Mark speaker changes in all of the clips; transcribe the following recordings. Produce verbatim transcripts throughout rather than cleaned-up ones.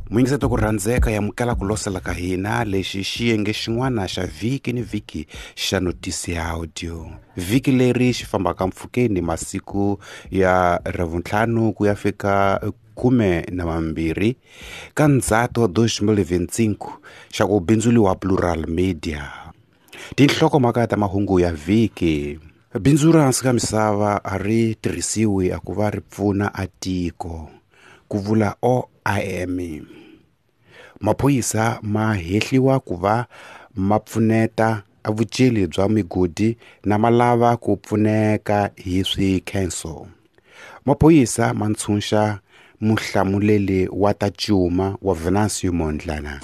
Speaker 1: Muyingiseti ku rhandzeka yamukela ku losela ka hina lexi xiyenge xin'wana xa vhiki ni vhiki xa Notisi ya Audio. Vhiki leri xi fambaka mpfhukeni masiku ya ravuntlhanu ku ya fika khume na mambirhi ka Ndzhato dois mil vinte e cinco xa ku bindzuriwa Plural Media. Tinhlokomhaka ta mahungu ya vhiki. Bindzu ra hansi ka misava a ri tirhisiwi a ku va ri pfuna a tiko, ku vula O I M. Maphorisa ma hehliwa ku va ma pfuneta a vuceli bya migodi na ma lava ku pfuneka hi swikhenso. Maphorisa ma ntshunxa muhlamuleli wa ta cuma wa Venancio Mondlane.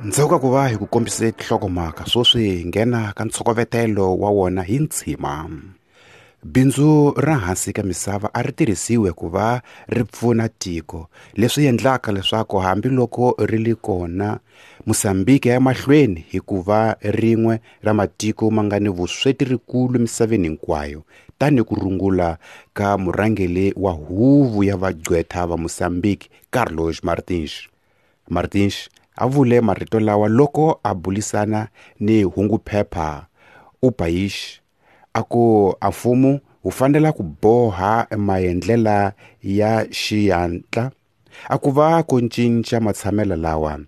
Speaker 1: Ndzhaku ka ku va hi ku kombise tinhlokomhaka sweswi hi nghena ka ntshokovetelo wa wona hi ntshima. Bindzu ra hansi ka misava a ri tirhisiwe ku va ri pfuna tiko, leswi endlaka leswaku hambiloko ri li kona Mozambique ya mahlweni hi ku va rin'we ra matiko ma nga ni vusweti rikulu emisaveni hinkwayo, tanihi ku rungula ka murhangeri wa huvo ya vagqwetha va Mozambique Carlos Martins. Martins a vule marito lawa loko a bulisana ni hunguphepha O País a ku a mfumo wu fanele ku boha maendlela ya xihatla a ku va ku cinca matshamelo lawa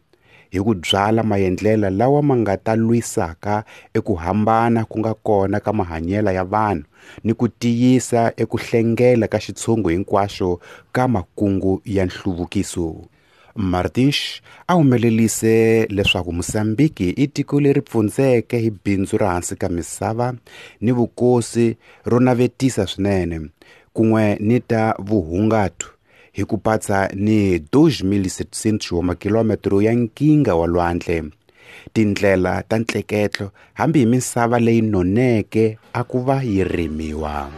Speaker 1: hi ku byala maendlela lawa ma nga ta lwisaka eku hambana ku nga kona ka mahanyelo ya vanhu ni ku tiyisa eku hlengela ka xitshungu hinkwaxo ka makungu ya nhluvukiso. Martins a humelelise leswaku Mozambique i tiko leri pfundzeke hi bindzu ra hansi ka misava ni vukosi ro navetisa swinene kun'we ni ta vuhungati hi ku patsa ni two mil setecentos wa makilometro ya nkinga wa lwandle, tindlela ta ntleketlo hambi hi misava leyi noneke a ku va yi rimiwa.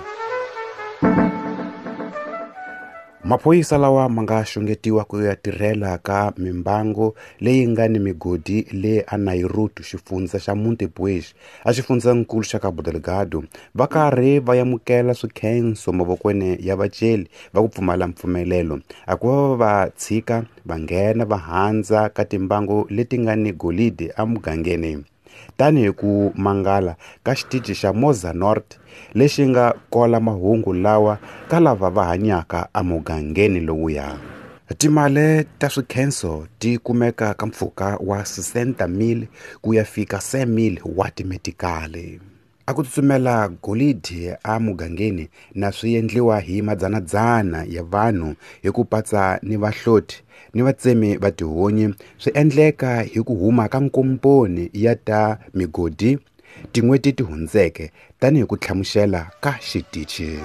Speaker 1: Maphorisa lawa ma nga xungetiwa ku ya tirhela ka mimbangu leyi nga ni migodi le aNairoto xifundza xa Montepuez a xifundzankulu xa Cabo Delgado va karhi va amukela swikhenso mavokweni ya vaceli va ku pfumala mpfumelelo a ku va va tshika va nghena va handza ka timbangu leti nga ni golidi emugangeni, tanihi ku mangala ka xitichi xa Moza Norte lexi nga kola mahungu lawa ka lava va hanyaka emugangeni lowuya. Timali ta swikhenso ti kumeka ka mpfhuka wa sessenta mil ku ya fika cem mil wa timetikali. A ku tsutsumela golidi emugangeni na swi endliwa hi madzanadzana ya vanhu hi ku patsa ni vahloti ni vatsemi va tihunyi swi endleka hi ku huma ka nkomponi ya ta migodi tin'hweti ti hundzeke, tanihi ku hlamusela ka xitichi.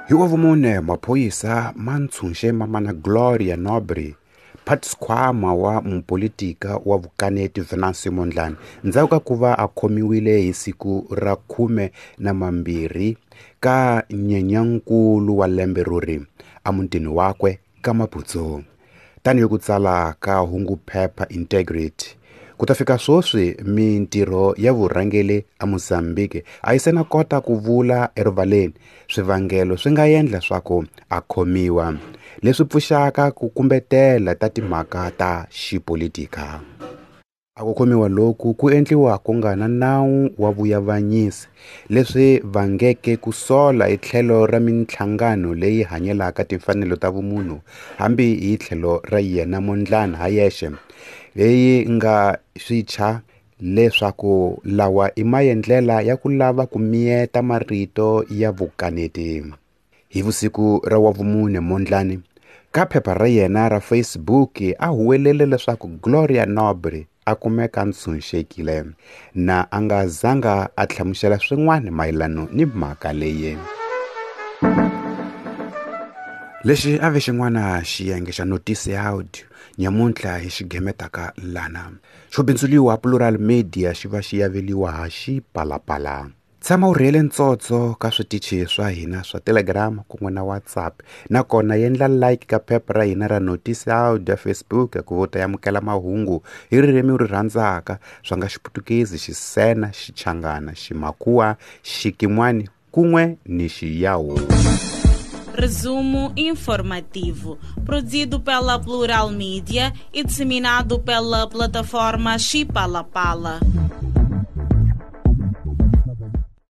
Speaker 1: Hi wavumune maphorisa ma ntshunxe mamana Gloria Nobre, mphatiskhwama wa mupolitika wa vukaneti Venancio Mondlane ndzhaku ka ku va a khomiwile hi siku ra khume na mambirhi ka Nyenyankulu wa lembe rori emutini wakwe ka Maputo, tanihi ku tsala ka hunguphepha Integrity. Ku ta fika sweswi mintirho ya vurhangeri eMozambique a yi se na kota ku vula erivaleni swivangelo swi nga endla swa ku a khomiwa, leswi pfuxaka ku kumbetela ta timhaka ta xipolitika. A ku khomiwa loku ku endliwa ku nga na nawu wa vuavanyisi, leswi vangeke ku sola hi tlhelo ra minhlangano leyi hanyelaka timfanelo ta vumunhu hambi hi tlhelo ra yena Mondlane ha yexe, leyi nga swi thya leswaku lawa i maendlela ya ku lava ku miyeta marito ya vukaneti. Hi vusiku ra wavumune Mondlane ka phepha ra yena ra Facebook a huwelele leswaku Gloria Nobre a kumeka a ntshunxekile na a nga zanga a hlamusela swin'wana mayelana ni mhaka leyi. Lexi a ve xin'wana xiyenge xa Notisi ya Audio nyamuntlha hi xigemetaka lana xo bindzuriwa Plural Media xi va xi yaveliwa ha Xipalapala. Tshama u rhiyele ntsotso ka switichi swa hina swa Telegram kun'we na WhatsApp, nakona endla like ka phepha ra hina ra Notisi Audio ya Facebook ku vo ta amukela mahungu hi ririmi u ri rhandzaka swa nga Xiputukezi, Xisena, Xichangana, Ximakhuwa, Xikimwani kun'we ni Xiyawu.
Speaker 2: Resumo informativo, produzido pela Plural Mídia e disseminado pela plataforma Chipalapala.